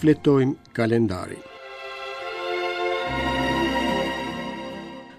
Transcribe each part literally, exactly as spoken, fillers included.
Shfletojmë kalendarin.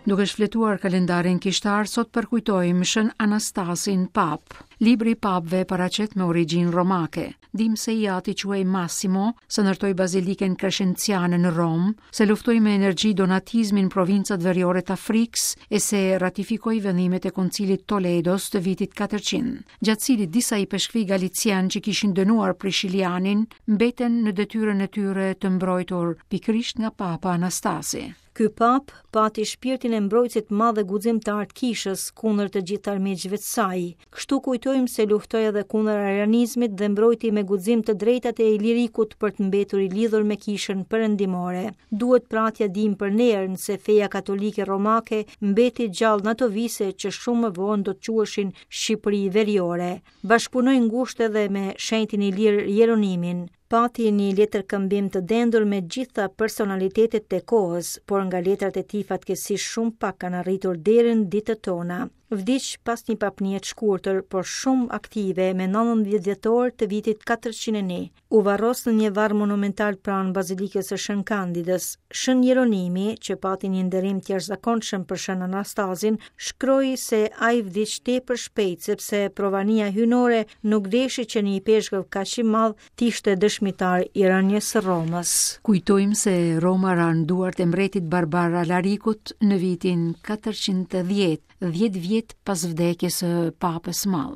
Duke shfletuar kalendarin kishtar, sot përkujtojmë Shën Anastasin Papë. Libri i papëve paraqet me origjinë romake. Dim se i ati quhej Massimo, se ndërtoi bazilikën Crescenciane në Romë, se luftoi me energji donatizmin në provincat veriore të Afrikës e se ratifikoi vendimet e Koncilit Toledos të vitit katërqind, gjatë cilit disa ipeshkvi galician që kishin dënuar Prishilianin mbeten në detyrën e tyre të mbrojtur pikërisht nga Papa Anastasi. Ky pap pati shpirtin e mbrojtësit madh dhe guximtar të kishës kundër të gjithë armiqve të saj. Kështu kujtojmë se luftoi edhe kundër arianizmit dhe mbrojti me guxim të drejtat e Ilirikut për të mbetur i lidhur me kishën perëndimore. Duhet pra t'ia dim për nder se feja katolike romake mbeti gjallë në ato vise që shumë më vonë do të quheshin Shqipëri Veriore. Bashkëpunoi ngushtë edhe me shenjtin ilir Jeronimin. Pati një letër këmbim të dendur me gjitha personalitetet e kohës, por nga letrat e tij fatkeqësisht shumë pak kanë arritur deri në ditët tona. Vdiq pas një papnie të shkurtër, por shumë aktive, me nëntëmbëdhjetë dhjetor të vitit katërqind e një. U varros në një varr monumental pranë Bazilikës së Shën Kandidës. Shën Jeronimi, që pati një nderim të jashtëzakonshëm për Shën Anastazin, shkroi se ai vdiq tepër shpejt sepse provania hyjnore nuk deshi që një ipeshkëv kaq i madh të ishte dëshmitar i rënies së Romës. Kujtojmë se Roma ra në duart e mbretit barbar Alarikut në vitin katërqind e dhjetë, dhjetë vjet pas vdekjes së Papës Madh.